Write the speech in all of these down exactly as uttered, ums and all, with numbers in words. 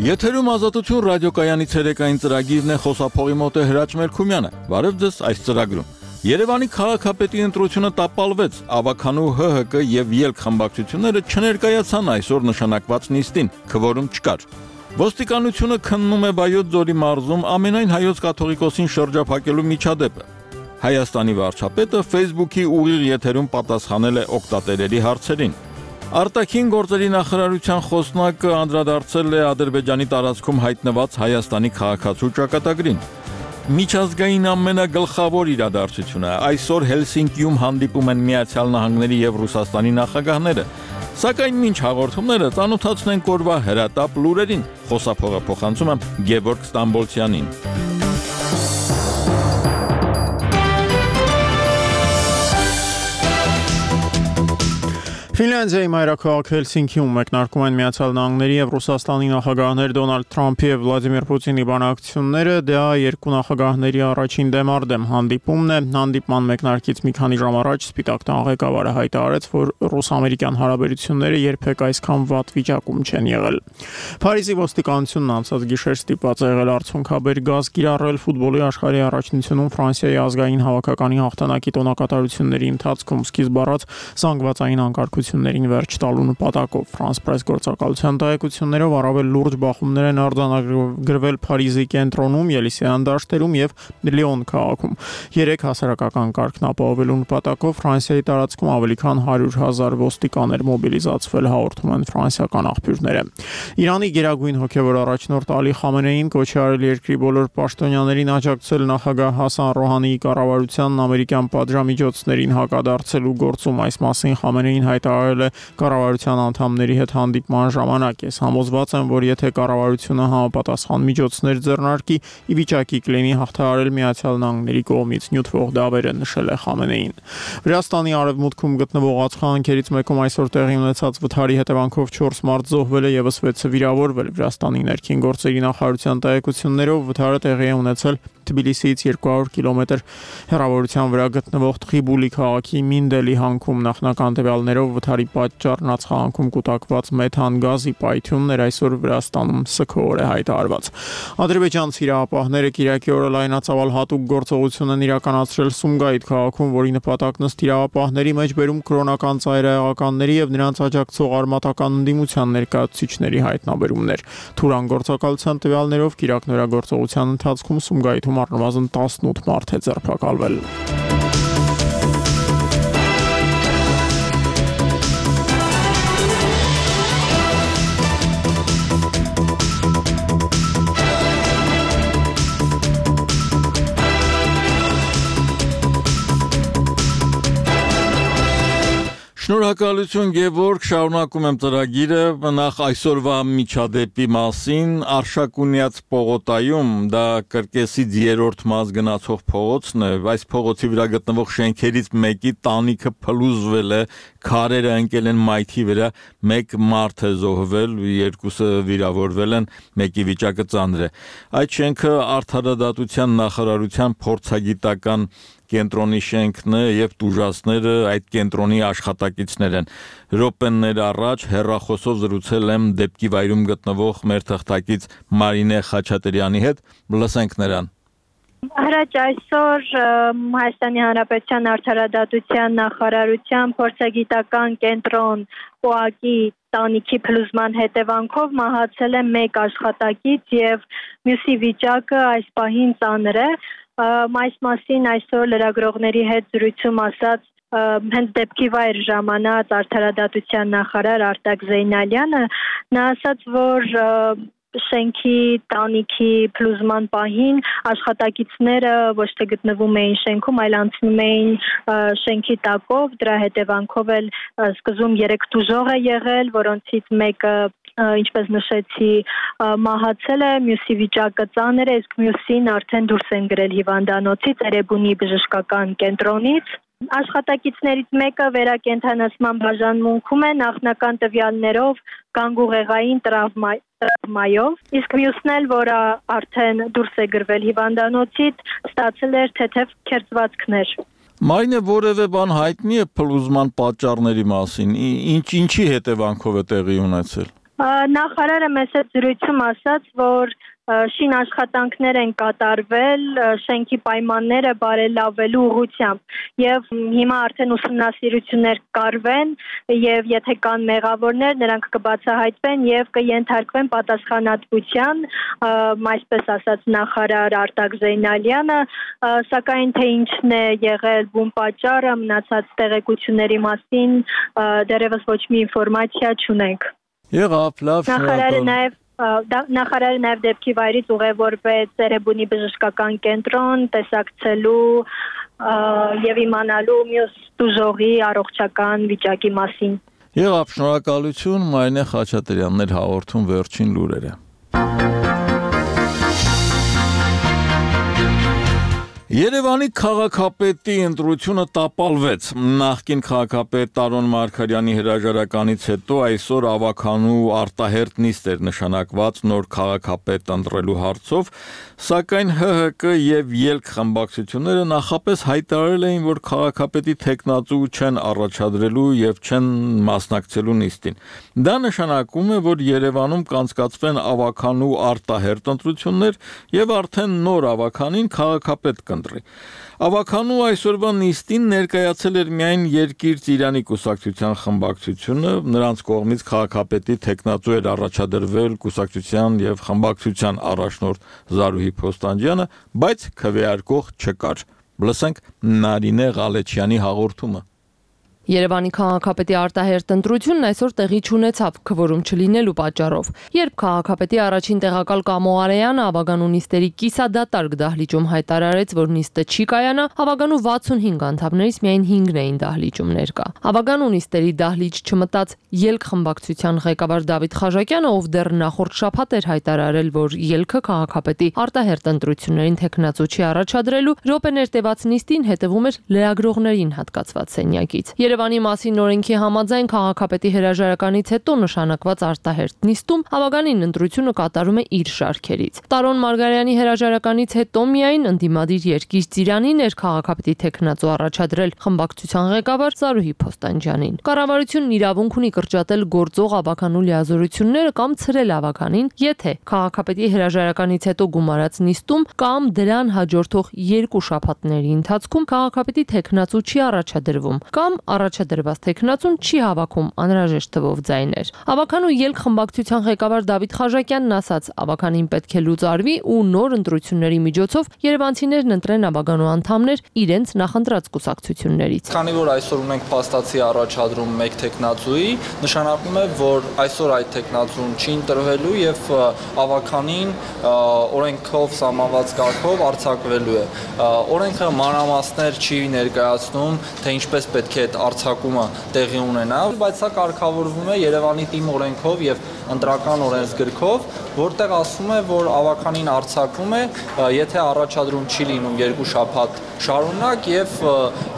Եթերում ազատություն ռադիոկայանի ցերեկային ծրագիրն է, խոսափողի մոտ է Հրաչ Մելքումյանը։ Բարև ձեզ այս ծրագրում։ Երևանի քաղաքապետի ընտրությունը տապալվեց, Ավագանու Հ Հ Կ եւ ելք խմբակցությունները չներկայացան այսօր նշանակված նիստին, քվորում չկար։ Ոստիկանությունը քննում է Վայոց ձորի մարզում ամենայն հայոց կաթողիկոսին շրջափակելու միջադեպը։ Հայաստանի վարչապետը Facebook-ի ուղիղ եթերում պատասխանել է օգտատերերի հարցերին։ Արտաքին գործերի նախարարության խոսնակը անդրադարձել է Ադրբեջանի տարածքում հայտնված Հայաստանի քաղաքացու ճակատագրին։ Միջազգային ամենագլխավոր իրադարձությունը այսօր Հելսինկիում հանդիպում են Միացյալ Նահանգների եւ Ռուսաստանի նախագահները։ Սակայն մինչ հաղորդումները ծանոթացնենք օրվա հրատապ լուրերին։ Խոսափողը փոխանցում եմ Գևորգ Ստամբոլցյանին։ Ֆինլանդիայի մայրաքաղաք Հելսինկիում մեկնարկում են Միացյալ Նահանգների եւ Ռուսաստանի նախագահներ Դոնալդ Թրամփի եւ Վլադիմիր Պուտինի բանակցությունները, դա երկու նախագահների առաջին դեմարդեմ հանդիպումն է։ Հանդիպման մեկնարկից մի քանի ժամ առաջ Սպիտակ տան ղեկավարը հայտարարեց, որ ռուս-ամերիկյան հարաբերությունները երբեք այսքան վատ վիճակում չեն եղել։ Փարիզի ոստիկանությունն անցած գիշեր ստիպված է եղել արդյունքաբեր գազ կիրառել ֆուտբոլի աշխարհի առաջնությունում Ֆրանսիայի ազգային հավաքականի հաղթանակի տոնակատարությունների ընթացքում սկիզբ առած զանգվածային անկարգ ներին վերջ տալու նպատակով Ֆրանս պրես գործակալության տեղեկություններով առավել լուրջ բախումներ են արձանագրվել Փարիզի կենտրոնում, Ելիսեյան դաշտերում եւ Լիոն քաղաքում։ Երեք հասարակական կարգն ապահովելու նպատակով Ֆրանսիայի տարածքում ավելի քան հարյուր հազար ոստիկան էր մոբիլիզացվել, հաղորդում են ֆրանսիական աղբյուրները։ Իրանի գերագույն հոգևոր առաջնորդ Ալի Խամենեին կոչ է արել երկրի բոլոր պաշտոնյաներին աջակցել նախագահ Հասան Ռոհանիի կառավարությանն ամերիկյան պատժամիջոցներին հակադարձելու գործում։ Այս մասին Խամենեին հայտարարել է կառավարության անդամների հետ հանդիպման ժամանակ։ Ես համոզված եմ, որ եթե կառավարությունը համապատասխան միջոցներ ձեռնարկի, ի վիճակի կլինի հաղթահարել Միացյալ Նահանգների կողմից նյութվող դավերը, նշել է Խամենեին։ Վրաստանի արևմուտքում գտնվող ածխահանքերից մեկում այսօր տեղի ունեցած վթարի հետևանքով չորս մարդ զոհվել է, եւս վեցը վիրավորվել։ Վրաստանի ներքին գործերի նախարարության տեղեկություններով վթարը տեղի է ունեցել Թբիլիսիից երկու հարյուր կիլոմետր հեռավորության վրա գտնվող Տրիբուլի քաղաքի Մինդելի հանքում։ Նախնական տվյալներով վթարի պատճառն ածխահանքում կուտակված մեթան գազի պայթյուններ այսօր Վրաստանում սգոր է հայտարարված։ Ադրբեջանցի իրավապահները Կիրակի օրը լայնածավալ հատուկ գործողություն են իրականացրել Սումգայիթ քաղաքում, որի նպատակն ըստ իրավապահների մեջ բերում կրոնական ծայրահեղականների եւ նրանց աջակցող արմատական ընդդիմության ներկայացուցիչների հայտնաբերումներ։ Թուրան գործակալության տվյալներով կիրակնորագործողության ընթացքում Սումգայիթում առնվազն տասնութ մարդ է ձերբակալվել։ Շնորհակալություն Գևորգ, շարունակում եմ ծրագիրը, նախ այսօրվա միջադեպի մասին, Արշակունյաց պողոտայում, դա Կրկեսից երրորդ մաս գնացող փողոցն է, այս փողոցի վրա գտնվող շենքերից մեկի տանիքը փլուզվել է, քարերը ընկել են մայթի վրա, մեկ մարդ է զոհվել, երկուսը վիրավորվել են, մեկի վիճակը ծանր է։ Այդ շենքը Արդարադատության նախարարության փորձագիտական կենտրոնի շենքն է եւ տուժածները այդ կենտրոնի աշխատակիցներ են։ Րոպեներ առաջ հեռախոսով զրուցել եմ դեպքի վայրում գտնվող մեր թղթակից Մարինե Խաչատրյանի հետ, լսենք նրան։ Հրաչ այսօր Հայաստանի Հանրապետության Արդարադատության նախարարության փորձագիտական կենտրոն ՕԱԿ-ի տանիքի փլուզման հետևանքով մահացել է մեկ աշխատակից եւ մյուսի վիճակը այս պահին ծանր է։ Այս մասին այսօր լրագրողների հետ զրույցում ասաց հենց դեպքի վայր ժամանած Արդարադատության նախարար Արտակ Զեյնալյանը, նա ասաց, որ շենքի տանիքի փլուզման պահին աշխատակիցները ոչ թե գտնվում էին շենքում, այլ անցնում էին շենքի տակով, դրա հետևանքով էլ սկզբում երեք տուժող է եղել, որոնցից մեկը ինչպես նշեցի մահացել է, մյուսի վիճակը ծանր է, իսկ մյուսին արդեն դուրս են գրել հիվանդանոցից, Էրեբունի բժշկական կենտրոնից։ Աշխատակիցներից մեկը վերակենդանացման բաժանմունքում է նախնական տվյալներով գանգուղեղային տրավմայով, իսկ մյուսն էլ, որը արդեն դուրս է գրվել հիվանդանոցից, ստացել էր թեթև քերծվածքներ։ Մայնը որևէ բան հայտնի է փլուզման պատճառների մասին, ինչ ինչի հետևանքով է տեղի ունեցել։ Նախարարը մեծ զրույցում ասաց, որ շին աշխատանքներ են կատարվել շենքի պայմանները բարելավելու ուղղությամբ եւ հիմա արդեն ուսումնասիրություններ կարվեն եւ եթե կան մեղավորներ նրանք կբացահայտվեն եւ կենթարկվեն պատասխանատվության, այսպես ասաց նախարար Արտակ Զեյնալյանը, սակայն թե ինչն է եղել բուն պատճառը, մնացած տեղեկությունների մասին դեռևս ոչ մի ինֆորմացիա չունենք։ Եղավ, լավ, Նախարարը նաեւ Նախարարը նաև դեպքի վայրից ուղևորվեց Էրեբունի բժշկական կենտրոն տեսակցելու եւ իմանալու մյուս տուժողի առողջական վիճակի մասին։ Եղավ, շնորհակալություն, Մարինե Խաչատրյանն էր հաղորդում վերջին լուրերը։ Երևանի քաղաքապետի ընտրությունը տապալվեց։ Նախկին քաղաքապետ Տարոն Մարգարյանի հրաժարականից հետո այսօր ավականու արտահերտ նիստ էր նշանակված նոր քաղաքապետ ընտրելու հարցով, սակայն Հ Հ Կ եւ ԵԼՔ խմբակցությունները նախապես հայտարարել էին, որ քաղաքապետի թեկնածու չեն առաջադրելու եւ չեն մասնակցելու նիստին։ Դա նշանակում է, որ Երևանում կանցկացվեն ավականու արտահերտ ընտրություններ եւ արդեն նոր ավականին քաղաքապետ կընտրի։ Ավականու այսօրվա նիստին ներկայացել էր միայն Երկիր Ծիրանի կուսակցության խմբակցությունը, նրանց կողմից քաղաքապետի թեկնածու էր առաջադրվել կուսակցության եւ խմբակցության առաջնորդ Զարուհի Փոստանջյանը, բայց քվեարկող չկար։ Լսենք Նարինե Ղալեչյանի հաղորդումը։ Երևանի քաղաքապետի արտահերտ ընտրությունն այսօր տեղի չունեցավ քվորում չլինելու պատճառով։ Երբ քաղաքապետի առաջին տեղակալ Կամո Արեյանը ավագանու նիստերի կիսադատարկ դահլիճում հայտարարեց, որ նիստը չի կայանա, ավագանու վաթսունհինգ անդամներից միայն հինգն էին դահլիճում ներկա։ Ավագանու նիստերի դահլիճ չմտած ԵԼՔ խմբակցության ղեկավար Դավիթ Խաժակյանը, ով դեռ նախորդ շաբաթ էր հայտարարել, որ ԵԼՔ քաղաքապետի արտահերտ ընտրություններին թեկնածու չի առաջադրելու, րոպեներ տևած նիստին հետևում էր լրագրողներին հատկացված սենյակից։ Երևանի մասին օրենքի համաձայն քաղաքապետի հրաժարականից հետո նշանակված արտահերտ նիստում ավագանին ընտրությունը կատարում է իր շարքերից։ Տարոն Մարգարյանի հրաժարականից հետո միայն ընդդիմադիր Երկիր Ծիրանին էր քաղաքապետի թեկնածու առաջադրել խմբակցության ղեկավար Զարուհի Փոստանջյանին։ Կառավարությունն իրավունք ունի կրճատել գործող ավականու լիազորությունները կամ ցրել ավականին, եթե քաղաքապետի հրաժարականից հետո գումարած նիստում կամ դրան հաջորդող երկու շաբաթների ընթացքում քաղաքապետի թեկնածու չի առաջադրվում կամ առաջադրված թեկնածուն չի հավաքում անհրաժեշտ թվով ձայներ։ Ավականու ԵԼՔ խմբակցության ղեկավար Դավիթ Խաժակյանն ասաց, ավականին պետք է լուծարվի ու նոր ընտրությունների միջոցով երևանցիներն ընտրեն ավականու անդամներ իրենց նախընտրած կուսակցություններից։ Քանի որ այսօր ունենք փաստացի առաջադրում մեկ թեկնածուի, նշանակում է, որ այսօր այդ թեկնածուն չի ընտրվելու եւ ավականին օրենքով սահմանված կարգով արձակվելու է։ Օրենքը մանրամասներ չի ներկայացնում, թե ինչպես պետք է արձակումը տեղի ունենա, բայց սա կարգավորվում է Երևանի թիմ օրենքով եւ ընտրական օրենսգրքով, որտեղ ասում է, որ ավականին արձակվում է, եթե առաջադրում չի լինում երկու շաբաթ շարունակ եւ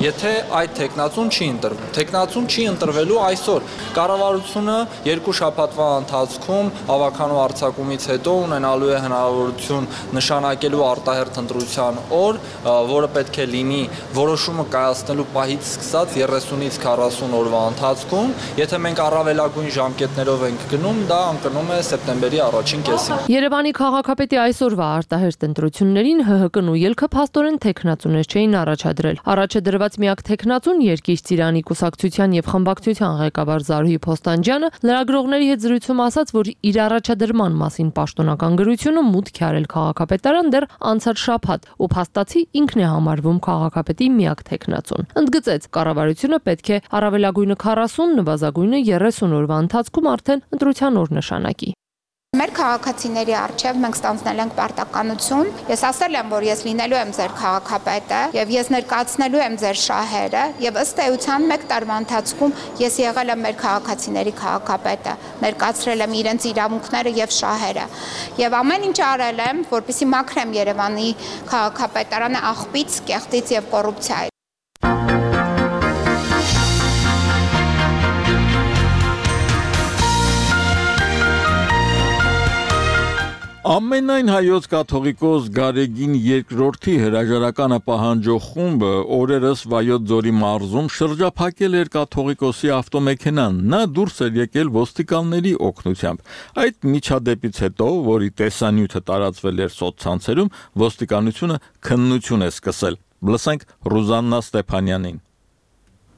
եթե այդ թեկնածուն չի ընտրվում։ Թեկնածուն չի ընտրվելու այսօր։ Կառավարությունը երկու շաբաթվա ընթացքում ավականու արձակումից հետո ունենալու է հնարավորություն նշանակելու արտահերթ ընտրության օր, որը պետք է լինի որոշումը կայացնելու պահից սկսած երեսունից քառասուն օրվա ընթացքում, եթե մենք առավելագույն ժամկետներով ենք գնում, դա ընկնում է սեպտեմբերի առաջին կեսին։ Երևանի քաղաքապետի այսօրվա արտահերթ ընտրություններին Հ Հ Կ-ն ու ԵԼՔ-ը փաստորեն թեկնածուներ չէին առաջադրել։ Առաջ դրված միակ թեկնածուն Երկիր Ծիրանի կուսակցության եւ խմբակցության ղեկավար Զարուհի Փոստանջյանը լրագրողների հետ զրույցում ասաց, որ իր առաջադրման մասին պաշտոնական գրությունը մուտք է արել քաղաքապետարան դեռ անցած շաբաթ ու փաստացի ինքն է համարվում քաղաքապետի միակ թեկնածուն։ Ընդգծեց, կառավարությունը պետք է առավելագույնը քառասուն, նվազագույնը երեսուն օրվա ընթացքում արդեն ընտրության օր նշանակի։ Մեր քաղաքացիների առջև մենք ստանձնել ենք պարտականություն։ Ես ասել եմ, որ ես լինելու եմ ձեր քաղաքապետը եւ ես ներկայացնելու եմ ձեր շահերը եւ ըստ էության մեկ տարվա ընթացքում ես եղել եմ մեր քաղաքացիների քաղաքապետը, ներկայացրել եմ իրենց իրավունքները եւ շահերը։ Եվ ամեն ինչ արել եմ, որպեսզի մաքրեմ Երևանի քաղաքապետարանը աղբից, կեղտից եւ կոռուպցիայից։ Ամենայն հայոց կաթողիկոս Գարեգին երկրորդի հրաժարականը պահանջող խումբը օրերս Վայոց ձորի մարզում շրջափակել էր կաթողիկոսի ավտոմեքենան, նա դուրս էր եկել ոստիկանների օգնությամբ։ Այդ միջադեպից հետո, որի տեսանյութը տարածվել էր սոցցանցերում, ոստիկանությունը քննություն է սկսել։ Լսենք Ռուզաննա Ստեփանյանին։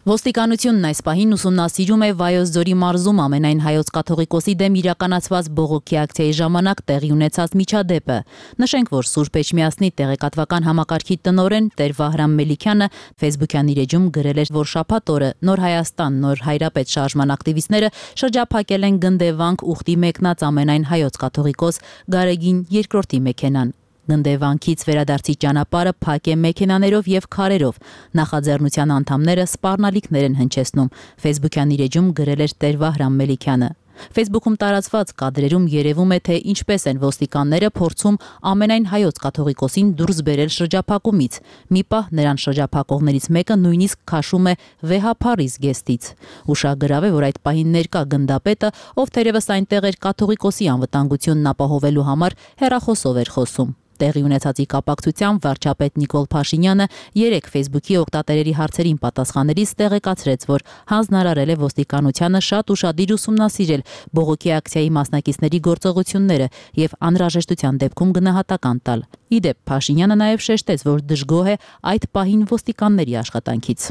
Ոստիկանությունն այս պահին ուսումնասիրում է Վայոց ձորի մարզում ամենայն հայոց կաթողիկոսի դեմ իրականացված բողոքի ակցիայի ժամանակ տեղի ունեցած միջադեպը։ Նշենք, որ Սուրբ Էջմիածնի տեղեկատվական համակարգի տնօրեն Տեր Վահրամ Մելիքյանը Facebook-յան իր էջում գրել էր, որ շաբաթ օրը Նոր Հայաստան, Նոր Հայրապետ շարժման ակտիվիստները շրջափակել են Գնդեվանք ուխտի մեկնած ամենայն հայոց կաթողիկոս Գարեգին երկրորդի մեքենան։ Գնդեվանքից վերադարձի ճանապարհը փակ է մեքենաներով եւ քարերով։ Նախաձեռնության անդամները սպառնալիքներ են հնչեցնում։ Facebook-յան իր էջում գրել էր Տեր Վահրամ Մելիքյանը։ Facebook-ում տարածված կադրերում երևում է, թե ինչպես են ոստիկանները փորձում ամենայն հայոց կաթողիկոսին դուրս բերել շրջափակումից։ Մի պահ նրան շրջափակողներից մեկը նույնիսկ քաշում է վեհափառի զգեստից։ Ուշագրավ է, որ այդ պահին ներկա գնդապետը, ով թերևս այնտեղ էր կաթողիկոսի անվտանգությունն ապահովելու համար, հեռախոսով էր խոսում։ Տեղի ունեցածի կապակցությամբ վարչապետ Նիկոլ Փաշինյանը երեք Facebook-ի օգտատերերի հարցերին պատասխանելիս տեղեկացրեց, որ հանձնարարել է ոստիկանությանը շատ ուշադիր ուսումնասիրել բողոքի ակցիայի մասնակիցների գործողությունները եւ անհրաժեշտության դեպքում գնահատական տալ։ Ի դեպ, Փաշինյանը նաեւ շեշտեց, որ դժգոհ է այդ պահին ոստիկանների աշխատանքից։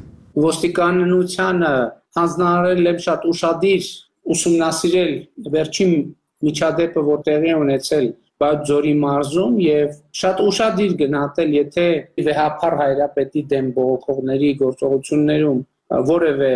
Ոստիկանությանը հանձնարարել է շատ ուշադիր ուսումնասիրել վերջին միջադեպը, որ տեղի է ունեցել Վայոց ձորի մարզում եւ շատ ուշադիր գնահատել, եթե վեհափառ հայրապետի դեմ բողոքողների գործողություններում որևէ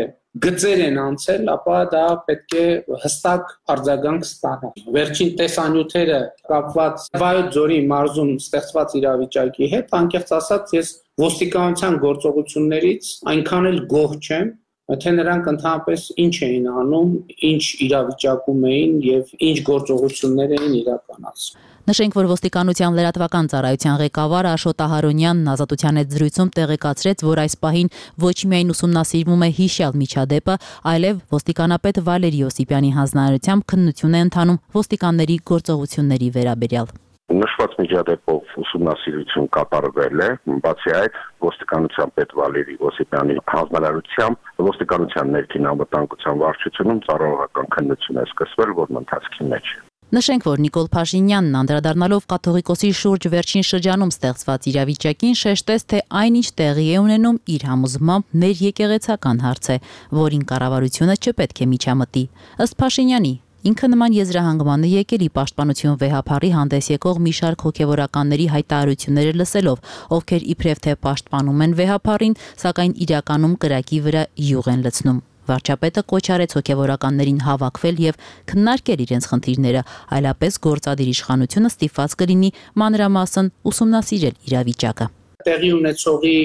գծեր են անցել, ապա դա պետք է հստակ արձագանք ստանա։ Վերջին տեսանյութերը կապված Վայոց ձորի մարզում ստեղծված իրավիճակի հետ, անկեղծ ասած, ես ոստիկանության գործողություններից այնքան էլ գոհ չեմ, թե նրանք ընդհանրապես ինչ էին անում, ինչ իրավիճակում էին եւ ինչ գործողություններ էին իրականացնում։ Նշենք, որ ոստիկանության լրատվական ծառայության ղեկավար Աշոտ Ահարոնյանն Ազատության հետ զրույցում տեղեկացրեց, որ այս պահին ոչ միայն ուսումնասիրվում է հիշյալ միջադեպը, այլև ոստիկանապետ Վալերի Ոսիպյանի հանձնարարությամբ քննություն է ընթանում ոստիկանների գործողությունների վերաբերյալ։ Նշված միջադեպով ուսումնասիրություն կատարվել է, բացի այդ ոստիկանության պետ Վալերի Ոսիպյանի հանձնարարությամբ ոստիկանության ներքին անվտանգության վարչությունում ծառայողական քննություն է սկսվել, որն ընթացքի մեջ է։ Նշենք, որ Նիկոլ Փաշինյանն անդրադառնալով կաթողիկոսի շուրջ վերջին շրջանում ստեղծված իրավիճակին շեշտեց, թե այնինչ տեղի է ունենում իր համոզմամբ ներեկեղեցական հարց է, որին կառավարությունը չպետք է միջամտի։ Ըստ Փաշինյանի, ինքը նման եզրահանգման է եկել ի պաշտպանություն վեհափառի հանդես եկող մի շարք հոգևորականների հայտարարությունները լսելով, ովքեր իբրև թե պաշտպանում են վեհափառին, սակայն իրականում կրակի վրա յուղ են լցնում։ Վարչապետը կոչ արեց հոգևորականներին հավաքվել եւ քննարկել իրենց խնդիրները, այլապես գործադիր իշխանությունը ստիպված կլինի մանրամասն ուսումնասիրել իրավիճակը։ Տեղի ունեցողի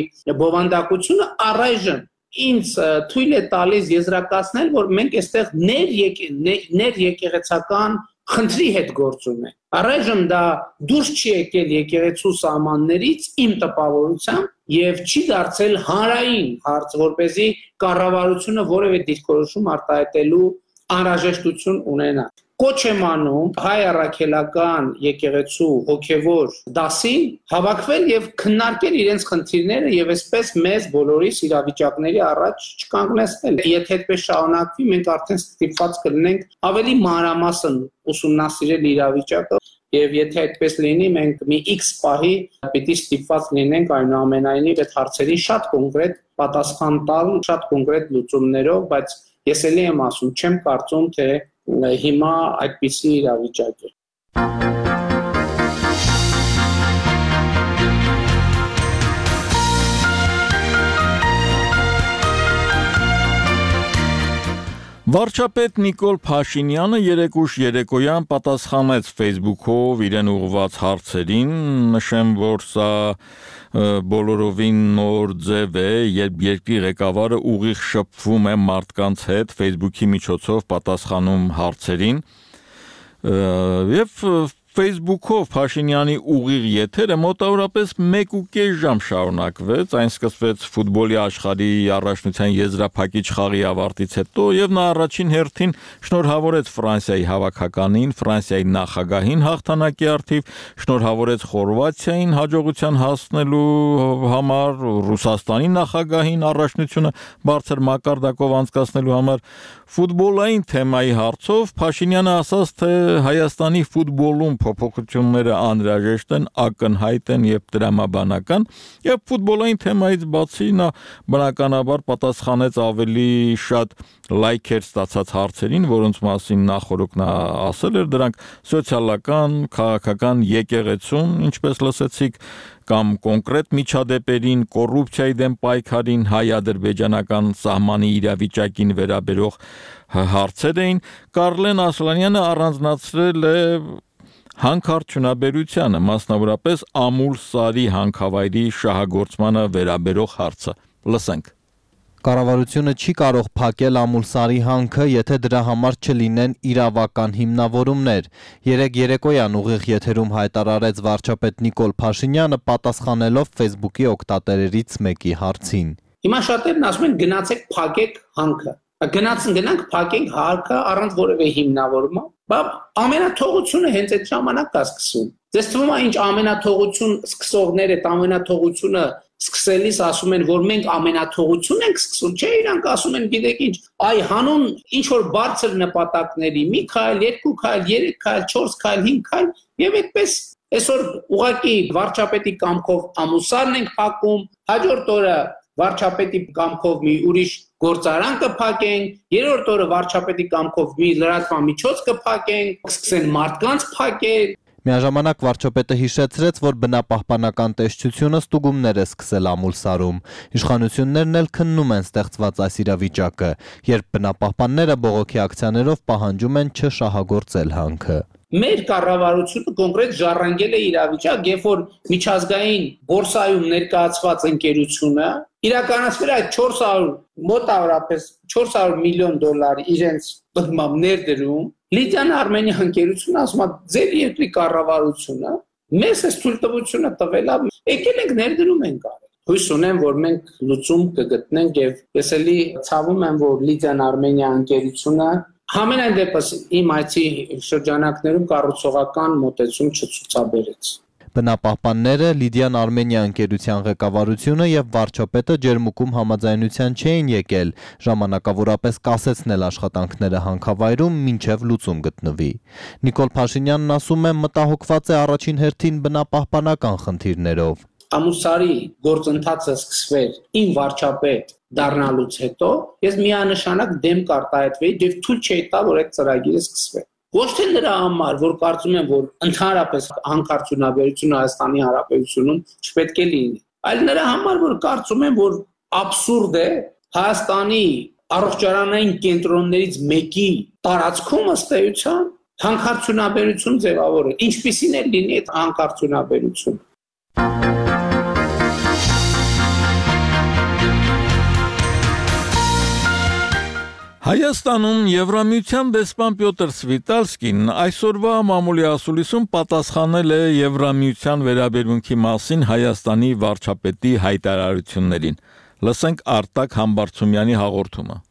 բովանդակությունը առայժմ ինձ թույլ է տալիս եզրակացնել, որ մենք այստեղ ներ եկեղեցական խնդրի հետ գործում ենք։ Առայժմ դա դուրս չի եկել եկեղեցու սահմաններից իմ տպավորությամբ եւ չի դարձել հանրային հարց, որպեսզի կառավարությունը որևէ դիրքորոշում արտահայտելու անհրաժեշտություն ունենա։ Կոչ եմ անում հայ առաքելական եկեղեցու հոգևոր դասին հավաքվել եւ քննարկել իրենց խնդիրները եւ այսպես մեզ բոլորիս իրավիճակների առաջ չկանգնեցնել։ Եթե այդպես շարունակվի, մենք արդեն ստիպված կլինենք ավելի մանրամասն ուսումնասիրել իրավիճակը եւ եթե այդպես լինի, մենք մի X պահի պիտի ստիպված լինենք այնուամենայնիվ այդ հարցերի շատ կոնկրետ պատասխան տալ, շատ կոնկրետ լուծումներով, բայց ես էլի եմ ասում, չեմ կարծում, թե հիմա այդպիսի իրավիճակ է։ Վարչապետ Նիկոլ Փաշինյանը երեկ ուշ երեկոյան պատասխանեց Facebook-ով իրեն ուղղված հարցերին, նշեմ, որ սա բոլորովին նոր ձև է, երբ երկրի ղեկավարը ուղիղ շփվում է մարդկանց հետ Facebook-ի միջոցով պատասխանում հարցերին, եւ Facebook-ով Փաշինյանի ուղիղ եթերը մոտավորապես մեկ ու կես ժամ շարունակվեց, այն սկսվեց ֆուտբոլի աշխարհի առաջնության եզրափակիչ խաղի ավարտից հետո եւ նա առաջին հերթին շնորհավորեց Ֆրանսիայի հավաքականին, Ֆրանսիայի նախագահին հաղթանակի առթիվ, շնորհավորեց Խորվաթիային հաջողության հասնելու համար, Ռուսաստանի նախագահին առաջնությունը բարձր մակարդակով անցկացնելու համար, ֆուտբոլային թեմայի հարցով Փաշինյանը ասաց, թե Հայաստանի ֆուտբոլում փոփոխությունները անհրաժեշտ են, ակնհայտ են եւ դրամաբանական, եւ ֆուտբոլային թեմայից բացի նա բնականաբար պատասխանեց ավելի շատ լայքեր ստացած հարցերին, որոնց մասին նախորդ նա ասել էր, դրանք սոցիալական, քաղաքական եկեղեցուն, ինչպես լսեցիք, կամ կոնկրետ միջադեպերին, կոռուպցիայի դեմ պայքարին, հայ-ադրբեջանական սահմանի իրավիճակին վերաբերող հարցեր էին, Կարլեն Ասլանյանը առանձնացրել է հանքարդյունաբերությանը, մասնավորապես Ամուլ-Սարի հանքավայրի շահագործմանը վերաբերող հարցը։ Լսենք։ Կառավարությունը չի կարող փակել Ամուլսարի հանքը, եթե դրա համար չլինեն իրավական հիմնավորումներ։ Երեկ երեկոյան ուղիղ եթերում հայտարարեց վարչապետ Նիկոլ Փաշինյանը, պատասխանելով Facebook-ի օգտատերերից մեկի հարցին։ Հիմա շատերն ասում են գնացեք փակեք հանքը։ Գնացին գնանք փակենք հանքը առանց որևէ հիմնավորում։ Բա ամենաթողությունը հենց այդ ժամանակ է սկսում։ Ձեզ թվում է ինչ ամենաթողություն սկսողները, ամենաթողությունը սկսելիս ասում են, որ մենք ամենաթողություն ենք սկսում, չէ, իրանք ասում են, գիտեք ինչ, այ հանուն ինչ որ բարձր նպատակների, մի քայլ, երկու քայլ, երեք քայլ, չորս քայլ, հինգ քայլ, եւ այդպես այսօր ուղղակի վարչապետի կամքով Ամուսարն ենք փակում, հաջորդ օրը վարչապետի կամքով մի ուրիշ գործարան կփակենք, երրորդ օրը վարչապետի կամքով մի լրատվական միջոց կփակենք, սկսեն մարդկանց փակել։ Միաժամանակ վարչապետը հիշեցրեց, որ բնապահպանական տեսչությունը ստուգումներ է սկսել Ամուլսարում։ Իշխանություններն էլ քննում են ստեղծված այս իրավիճակը, երբ բնապահպանները բողոքի ակցիաներով պահանջում են չշահագործել հանքը։ Մեր կառավարությունը կոնկրետ ժառանգել է իրավիճակ, երբ որ միջազգային բորսայում ներկայացված ընկերությունը իրականացվել է չորս հարյուր մոտավորապես չորս հարյուր միլիոն դոլար իրենց բնմամբ ներդրում, Լիդիան Արմենիա ընկերությունը ասում է ձեր երկրի կառավարությունը մեզ այս թույլտվությունը տվել է, եկել ենք ներդրում ենք արել։ Հույս ունեմ, որ մենք լուծում կգտնենք եւ ես էլի ցավում եմ, որ Լիդիան Արմենիա ընկերությունը Համենայն դեպս իմ այցի շրջանակներում կառուցողական մոտեցում չցուցաբերեց։ Բնապահպանները, Լիդիան Արմենիա ընկերության ղեկավարությունը եւ վարչապետը ջերմուկում համաձայնության չէին եկել ժամանակավորապես կասեցնել աշխատանքները հանքավայրում մինչեւ լուծում գտնվի։ Նիկոլ Փաշինյանն ասում է, մտահոգված է առաջին հերթին բնապահպանական խնդիրներով։ Ամուսարի գործընթացը սկսվեր իմ վարչապետ դառնալուց հետո, ես միանշանակ դեմ կարտահայտվեի եւ թույլ չէի տա, որ այդ ծրագիրը սկսվի։ Ոչ թե նրա համար, որ կարծում եմ, որ ընդհանրապես հանքարդյունաբերությունը Հայաստանի Հանրապետությունում չպետք է լինի, այլ նրա համար, որ կարծում եմ, որ աբսուրդ է Հայաստանի առողջարանային կենտրոններից մեկի տարածքում ըստ էության հանքարդյունաբերություն ձևավորել։ Ինչպիսին է լինի այդ հանքարդյունաբերությունը։ Հայաստանում Եվրամիության դեսպան Պյոտր Սվիտալսկին այսօրվա մամուլի ասուլիսում պատասխանել է Եվրամիության վերաբերմունքի մասին Հայաստանի վարչապետի հայտարարություններին։ Լսենք Արտակ Համբարձումյանի հաղորդումը։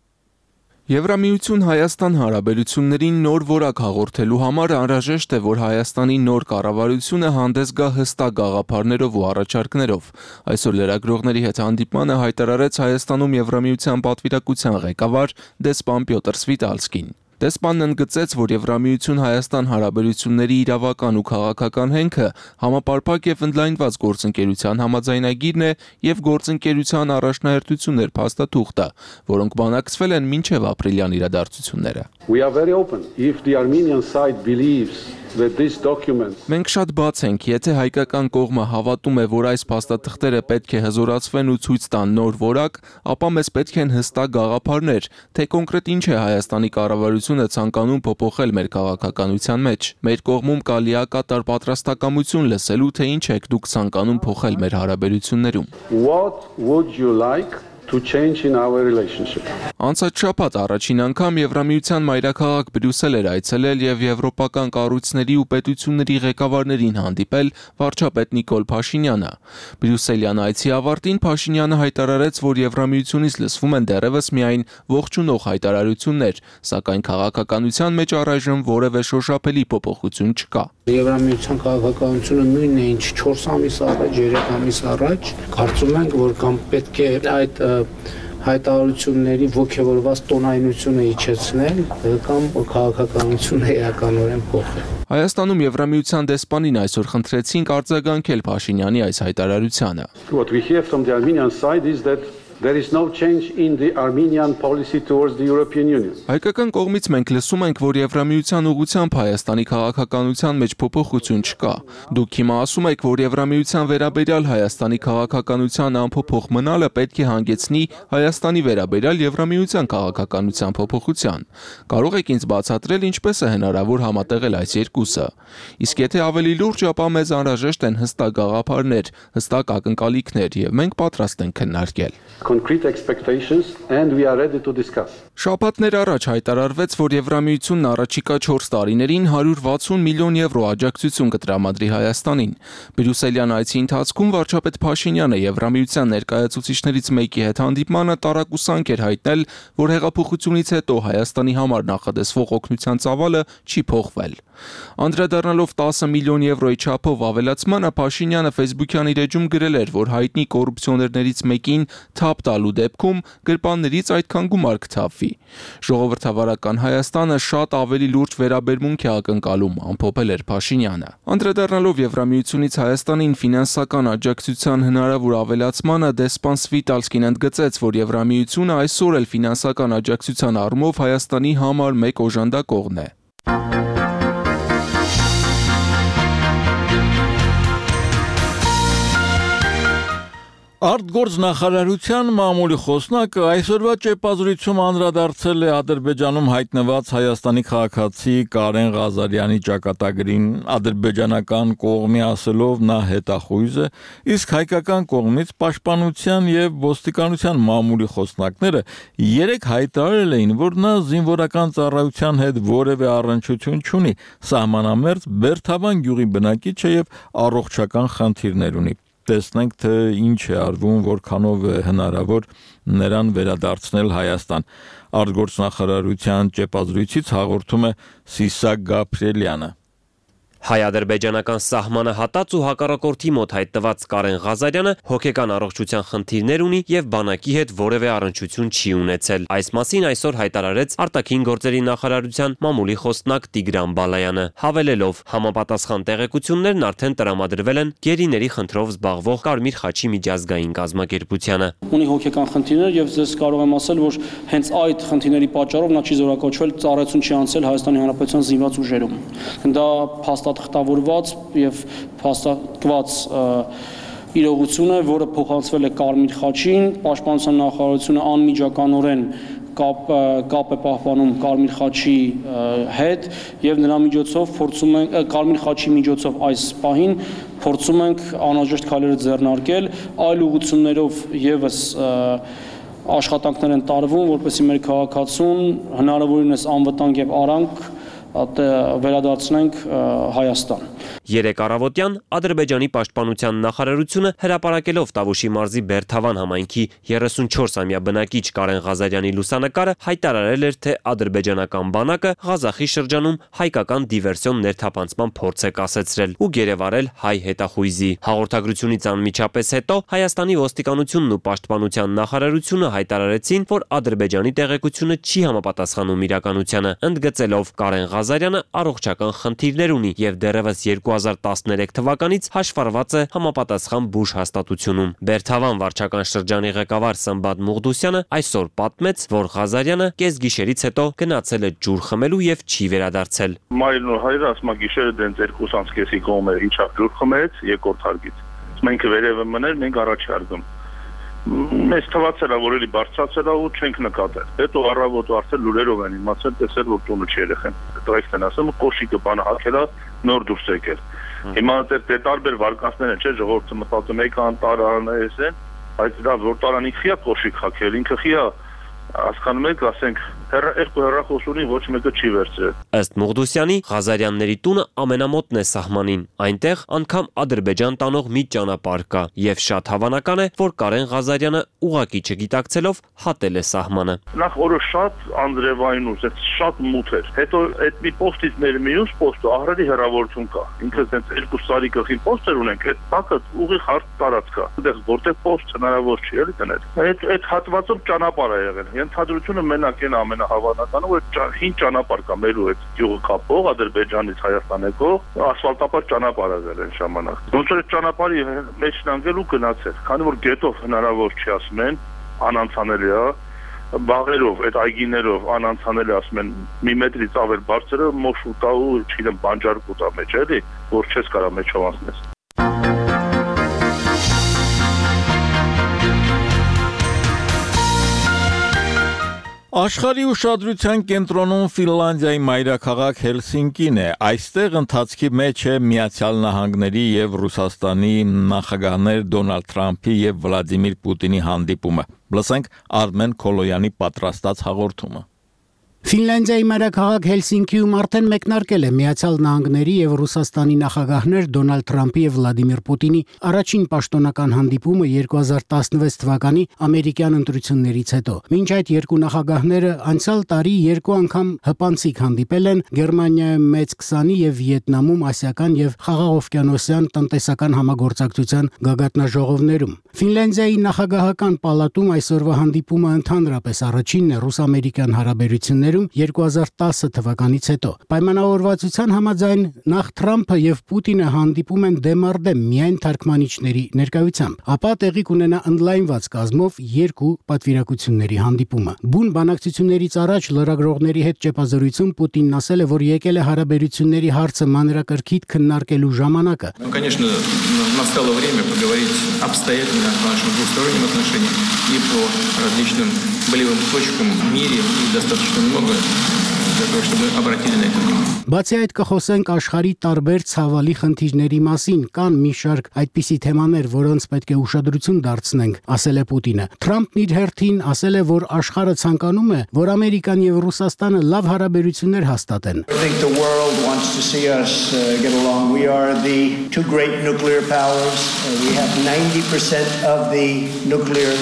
Եվրամիություն Հայաստան հարաբերություններին նոր որակ հաղորդելու համար անհրաժեշտ է, որ Հայաստանի նոր կառավարությունը հանդես գա հստակ գաղափարներով ու առաջարկներով։ Այսօր լրագրողների հետ հանդիպմանը հայտարարեց Հայաստանում Եվրամիության պատվիրակության ղեկավար դեսպան Պյոտր Սվիտալսկին։ Դեսպանն ընդգծեց, որ Եվրամիություն Հայաստան հարաբերությունների իրավական ու քաղաքական հենքը համապարփակ եւ ընդլայնված գործընկերության համաձայնագիրն է եւ գործընկերության առաջնահերթություններ փաստաթուղթը, որոնք բանակցվել են մինչեւ ապրիլյան իրադարձությունները։ We are very open if the Armenian side believes that this document Մենք շատ բաց ենք, եթե հայկական կողմը հավատում է, որ այս փաստաթղթերը պետք է հզորացվեն ու ցույց տան նոր որակ, ապա մեզ պետք են հստակ գաղափարներ, թե կոնկրետ ինչ է Հայաստանի կառավարությունը ցանկանում փոփոխել մեր քաղաքականության մեջ։ Մեր կողմում կա լիակատար պատրաստակամություն լսելու, թե ինչ եք դուք ցանկանում փոխել մեր հարաբերություններում։ What would you like to change in our relationship. Անցած շաբաթ առաջին անգամ Եվրամիության մայրաքաղաք Բրյուսել էր այցելել եւ եվրոպական կառույցների ու պետությունների ղեկավարներին հանդիպել վարչապետ Նիկոլ Փաշինյանը։ Բրյուսելյան այցի ավարտին Փաշինյանը հայտարարեց, որ Եվրամիությունից լսվում են դեռևս միայն ողջունող հայտարարություններ, սակայն քաղաքականության մեջ առայժմ որևէ շոշափելի փոփոխություն չկա։ Եվրամիության քաղաքականությունը նույնն է, ինչ չորս ամիս առաջ, երեք ամիս առաջ, կարծում ենք, որ կամ պետք է այդ հայտարարությունների ոգևորված տոնայնությունը իջեցնել, կամ քաղաքականությունը էականորեն փոխել։ Հայաստանում Եվրամիության դեսպանին այսօր խնդրեցինք արձագանքել Փաշինյանի այս հայտարարությանը։ What we hear from the Armenian side is that there is no change in the Armenian policy towards the European Union. Հայկական կողմից մենք լսում ենք, որ Եվրամիության ուղղությամբ Հայաստանի քաղաքականության մեջ փոփոխություն չկա։ Դուք հիմա ասում եք, որ Եվրամիության վերաբերյալ Հայաստանի քաղաքականության անփոփոխ մնալը պետք է հանգեցնի Հայաստանի վերաբերյալ Եվրամիության քաղաքականության փոփոխության։ Կարող եք ինձ բացատրել, ինչպես է հնարավոր համատեղել այս երկուսը։ Իսկ եթե ավելի լուրջ, ապա մեզ անհրաժեշտ են հստակ գաղափարներ, հստակ ակնկալիքներ, եւ մենք պատրաստ ենք քննարկել։ Concrete expectations and we are ready to discuss. Շաբաթներ առաջ հայտարարվեց, որ Եվրամիությունն առաջիկա չորս տարիներին հարյուր վաթսուն միլիոն եվրո աջակցություն կտրամադրի Հայաստանին։ Բրյուսելյան այցի ընթացքում վարչապետ Փաշինյանը Եվրամիության ներկայացուցիչներից մեկի հետ հանդիպմանը տարակուսանք էր հայտնել, որ հեղափոխությունից հետո Հայաստանի համար նախադեсվող օգնության ծավալը չի փոխվել։ Անդրադառնալով տասը միլիոն եվրոյի չափով ավելացմանը, Փաշինյանը Facebook-յան իր էջում գրել էր, որ հայտնի կոռուպցիոներներից մեկին թափ տալու դեպքում գրպաններից այդքան գումար կթափվի։ Ժողովրդավարական Հայաստանը շատ ավելի լուրջ վերաբերմունք է ակնկալում, ամփոփել էր Փաշինյանը։ Անդրադառնալով Եվրամիությունից Հայաստանին ֆինանսական աջակցության հնարավոր ավելացմանը, դեսպան Սվիտալսկին ընդգծեց, որ Եվրամիությունը այսօր էլ ֆինանսական աջակցության առումով Հայաստանի համար մեկ օժանդակողն է։ Արտգործնախարարության մամուլի խոսնակը այսօրվա ճեպազրույցում անդրադարձել է Ադրբեջանում հայտնված Հայաստանի քաղաքացի Կարեն Ղազարյանի ճակատագրին, ադրբեջանական կողմի ասելով նա հետախույզ է, իսկ հայկական կողմից պաշտպանության եւ ոստիկանության մամուլի խոսնակները երեք հայտարարել էին, որ նա զինվորական ծառայության հետ որևէ առնչություն չունի, սահմանամերձ Բերթավան գյուղի բնակիչ է եւ առողջական խնդիրներ ունի։ Տեսնենք, թե ինչ է արվում, որքանով է հնարավոր նրան վերադարձնել Հայաստան։ Արտգործնախարարության ճեպազրույցից հաղորդում է Սիսակ Գաբրիելյանը։ Հայ-ադրբեջանական սահմանը հատած ու հակառակորդի մոտ հայտնված Կարեն Ղազարյանը հոգեկան առողջության խնդիրներ ունի եւ բանակի հետ որևէ առնչություն չի ունեցել։ Այս մասին այսօր հայտարարեց արտաքին գործերի նախարարության մամուլի խոսնակ Տիգրան Բալայանը, հավելելով. համապատասխան տեղեկություններն արդեն տրամադրվել են գերիների խնդրով զբաղվող Կարմիր խաչի միջազգային կազմակերպությանը։ Ունի հոգեկան խնդիրներ եւ ես կարող եմ ասել, որ հենց այդ խնդիրների պատճառով նա չի զորակոչվել, ծառայություն չի անցել Հայաստանի Հանրապետության զինված ուժերում։ Դա փաստաթղթավորված եւ փաստատված իրողություն է, որը փոխանցվել է Կարմիր խաչին, Պաշտպանության նախարարությունը անմիջականորեն կապ կապ է պահպանում Կարմիր խաչի հետ եւ նրա միջոցով փորձում ենք Կարմիր խաչի միջոցով այս պահին փորձում ենք անհրաժեշտ քայլերը ձեռնարկել, այլ ուղղություններով եւս աշխատանքներ են տարվում, որպեսզի մեր քաղաքացուն հնարավորինս անվտանգ եւ արանք վերադարձնենք Հայաստան։ Երեք առավոտյան Ադրբեջանի պաշտպանության նախարարությունը հրապարակելով Տավուշի մարզի Բերթավան համայնքի երեսունչորսամյա բնակիչ Կարեն Ղազարյանի լուսանկարը հայտարարել էր, թե ադրբեջանական բանակը Ղազախի շրջանում հայկական դիվերսիոն ներթափանցման փորձ է կասեցրել ու գերեվարել հայ հետախույզի։ Հաղորդագրությունից անմիջապես հետո Հայաստանի ոստիկանությունն ու պաշտպանության նախարարությունը հայտարարեցին, որ Ադրբեջանի տեղեկությունը չի համապատասխանում իրականությանը, ընդգծելով Կարեն Ղազարյանը առողջական խնդիրներ ունի եւ դեռևս երկու հազար տասներեք թվականից հաշվառված է համապատասխան բուժ հաստատությունում։ Բերթավան վարչական շրջանի ղեկավար Սմբատ Մուղդուսյանը այսօր պատմեց, որ Ղազարյանը կեսգիշերից հետո գնացել է ջուր խմելու եւ չի վերադարձել։ Մայրն ու հայրը ասում գիշերը դենց երկուս անցկեսի կողմը իջավ ջուր խմեց երկրորդ հարգից։ Մենք վերևը մներ, մենք առաջ հարգում։ Մեզ թվացել է, որ էլի բարձրացել է ու չենք նկատել։ Հետո առավոտ արդեն լուրերով են իմացել, տեսել, որ տունը չի երեխեն։ Տղեկն են ասում, կոշիկը բանը հագել է, նոր դուրս եկել։ Հիմա դե տարբեր վարկածներ են, չէ, ժողովուրդը մտածում է, կան տարան էս են, Բայց դա որ տարանին խիա կոշիկ խակել, ինքը խիա հասկանում եք, ասենք, երկու հեռախոսունի ոչ մեկը չի վերցրել։ Ըստ Մուղդուսյանի, Ղազարյանների տունը ամենամոտն է սահմանին։ Այնտեղ անգամ Ադրբեջան տանող մի ճանապարհ կա, եւ շատ հավանական է, որ Կարեն Ղազարյանը ուղակի չգիտակցելով հատել է սահմանը։ Նախ օրը շատ անձրևային ուժ, շատ մութ էր։ Հետո այդ մի պոստից մեր մյուս պոստը ահռելի հեռավորություն կա։ Ինքը ցենց երկու սարի գլխին պոստեր ունենք, այդ տակը ուղիղ հարթ տարածք կա։ Այդտեղ որտեղ պոստ հնարավոր չի էլի դնել։ Այդ այդ հատվածով ճանապարհ է եղել։ Ենթադրությունը մենակ են ամենահավանականը, որ հին ճանապարհ կա մեր ու այդ գյուղը կապող Ադրբեջանից Հայաստան եկող ասֆալտապատ ճանապարհ եղել այն ժամանակ։ Ոնց որ այդ ճանապարհի մեջ լանգել ու գնացել, քանի որ գետով հնարավոր չի ասում են, անանցանելի է, բաղերով, այդ այգիներով անանցանելի ասում են, մի մետրից ավել բարձրը մոշ ուտա ու չգիտեմ բանջար կուտա մեջ էլի, որ չես կարա մեջով անցնես։ Աշխարհի ուշադրության կենտրոնում Ֆինլանդիայի մայրաքաղաք Հելսինկին է։ Այստեղ ընթացքի մեջ է Միացյալ Նահանգների եւ Ռուսաստանի նախագահներ Դոնալդ Թրամփի եւ Վլադիմիր Պուտինի հանդիպումը։ Լսենք Արմեն Քոլոյանի պատրաստած հաղորդումը։ Ֆինլանդիայի մայրաքաղաք Հելսինկիում արդեն մեկնարկել է Միացյալ Նահանգների եւ Ռուսաստանի նախագահներ Դոնալդ Թրամփի եւ Վլադիմիր Պուտինի առաջին պաշտոնական հանդիպումը երկու հազար տասնվեց թվականի ամերիկյան ընտրություններից հետո։ Մինչ այդ երկու նախագահները անցյալ տարի երկու անգամ հպանցիկ հանդիպել են Գերմանիայում մեծ քսանի եւ Վիետնամում ասիական եւ խաղաղօվկիանոսյան տնտեսական համագործակցության գագաթնաժողովներում։ Ֆինլանդիայի նախագահական պալատում այսօրվա հանդիպումը ընդհանրապես առաջինն է ռուս-ամերիկյան հարաբերություններում երկու հազար տասը թվականից հետո։ Պայմանավորվածության համաձայն նախ Թրամփը եւ Պուտինը հանդիպում են դեմարդեմ միայն թարգմանիչների ներկայությամբ, ապա տեղի կունենա ընդլայնված կազմով երկու պատվիրակությունների հանդիպումը։ Բուն բանակցություններից առաջ լրագրողների հետ ճեպազրույցում Պուտինն ասել է, որ եկել է հարաբերությունների հարցը մանրակրքիթ քննարկելու ժամանակը։ Конечно, настало время поговорить обстоятельно о наших двусторонних отношениях и по различным болевым точкам в мире и достаточно много для того, чтобы обратили на это внимание. Բացի այդ կխոսենք աշխարհի տարբեր ցավալի խնդիրների մասին, կան մի շարք այդպիսի թեմաներ, որոնց պետք է ուշադրություն դարձնենք, ասել է Պուտինը։ Թրամփն իր հերթին ասել է, որ աշխարհը ցանկանում է, որ Ամերիկան եւ Ռուսաստանը լավ հարաբերություններ հաստատեն։ I think the world wants to see us uh, get along. We are the two great nuclear powers. Uh, we have ninety percent of the nuclear,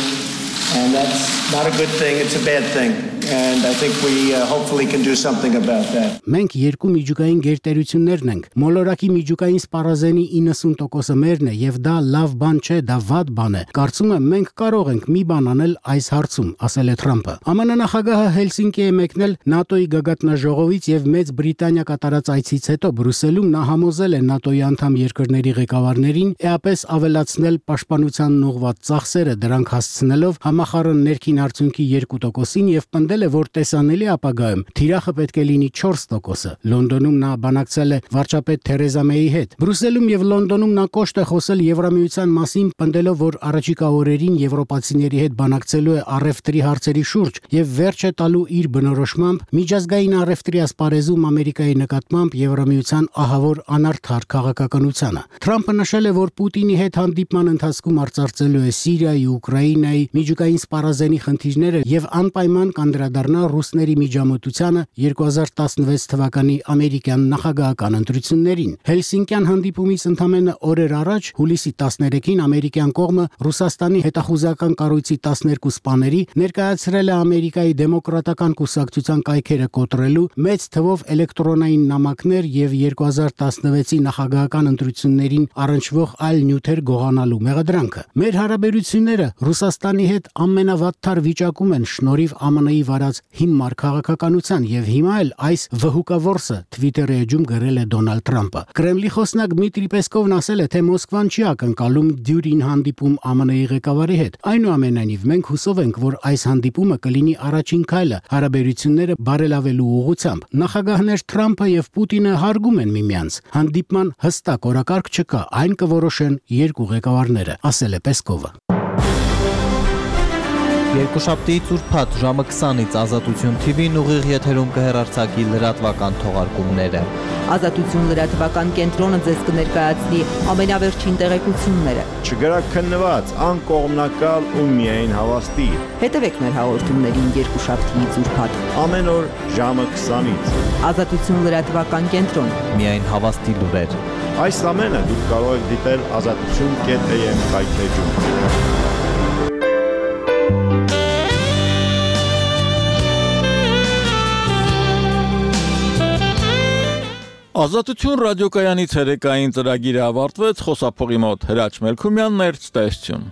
and that's not a good thing, it's a bad thing. And I think we uh, hopefully can do something about that. Մենք երկու միջուկային գերտերություններն ենք։ Մոլորակի միջուկային սպառազենի իննսուն տոկոսը մերն է եւ դա լավ բան չէ, դա վատ բան է։ Կարծում եմ մենք կարող ենք մի բան անել այս հարցում, ասել է Թրամփը։ ԱՄՆ նախագահը Հելսինկի է մեկնել ՆԱՏՕ-ի գագաթնաժողովից եւ Մեծ Բրիտանիա կատարած այցից հետո Բրյուսելում նա համոզել է ՆԱՏՕ-ի անդամ երկրների ղեկավարներին էապես ավելացնել պաշտպանությանն ուղղված ծախսերը, դրանք հասցնելով համախառն ներքին արդյունքի երկու տոկոսին եւ պնդել է, որ տեսանելի ապագայում թիրախը պետք է լինի չորս տոկոսը։ Լոնդոնում նա բանակցել է վարչապետ Թերեզա Մեյի հետ։ Բրյուսելում եւ Լոնդոնում նա կոշտ է խոսել Եվրամիության մասին, պնդելով, որ առաջիկա օրերին եվրոպացիների հետ բանակցելու է առևտրի հարցերի շուրջ եւ վերջ է տալու իր բնորոշմամբ միջազգային առևտրի ասպարեզում Ամերիկայի նկատմամբ Եվրամիության ահավոր անարդար քաղաքականությանը։ Թրամփը նշել է, որ Պուտինի հետ հանդիպման ընթացքում արծարծելու է Սիրիայի, Ուկրաինայի, միջուկային սպառազենի խնդիրները եւ անպայման կանդրադառնա ռուսների միջամտությանը երկու հազար տասնվեց թվականի ամերիկյան նախագահական ընտրություններին։ Հելսինկյան հանդիպումից ընդամենը օրեր առաջ հուլիսի տասներեքին ամերիկյան կողմը Ռուսաստանի հետախուզական կառույցի տասներկու սպաների ներկայացրել է Ամերիկայի դեմոկրատական կուսակցության կայքերը կոտրելու մեծ թվով էլեկտրոնային նամակներ եւ երկու հազար տասնվեցի նախագահական ընտրություններին առնչվող այլ նյութեր գողանալու մեղադրանքը։ Մեր հարաբերությունները Ռուսաստանի հետ ամենավատթար վիճակում են շնորհիվ ԱՄՆ-ի վարած հիմար քաղաքականության եւ հիմա էլ այս վհուկավորսը Twitter-ի էջում գրել է Դոնալդ Թրամփը։ Կրեմլի խոսնակ Դմիտրի Պեսկովն ասել է, թե Մոսկվան չի ակնկալում դյուրին հանդիպում ԱՄՆ-ի ղեկավարի հետ։ Այնուամենայնիվ մենք հուսով ենք, որ այս հանդիպումը կլինի առաջին քայլը հարաբերությունները բարելավելու ուղղությամբ։ Նախագահներ Թրամփը եւ Պուտինը հարգում են միմյանց։ Հանդիպման հստակ օրակարգ չկա, այն կորոշեն երկու ղեկավարները, ասել է Պեսկովը։ Երկուշաբթիից ուրբաթ ժամը քսանից Ազատություն թի վին ուղիղ եթերում կհեռարձակի լրատվական թողարկումները։ Ազատություն լրատվական կենտրոնը ձեզ կներկայացնի ամենավերջին տեղեկությունները։ Չգրաքննված, անկողմնակալ ու միայն հավաստի։ Հետևեք մեր հաղորդումներին երկուշաբթիից ուրբաթ ամեն օր ժամը քսանից։ Ազատություն լրատվական կենտրոն։ Միայն հավաստի լուրեր։ Այս ամենը դուք կարող եք դիտել ազատություն կետ am կայքեջում։ Ազատություն ռադիոկայանի ցերեկային ծրագիրը ավարտվեց, խոսափողի մոտ Հրաչ Մելքումյանն էր, ցտեսություն։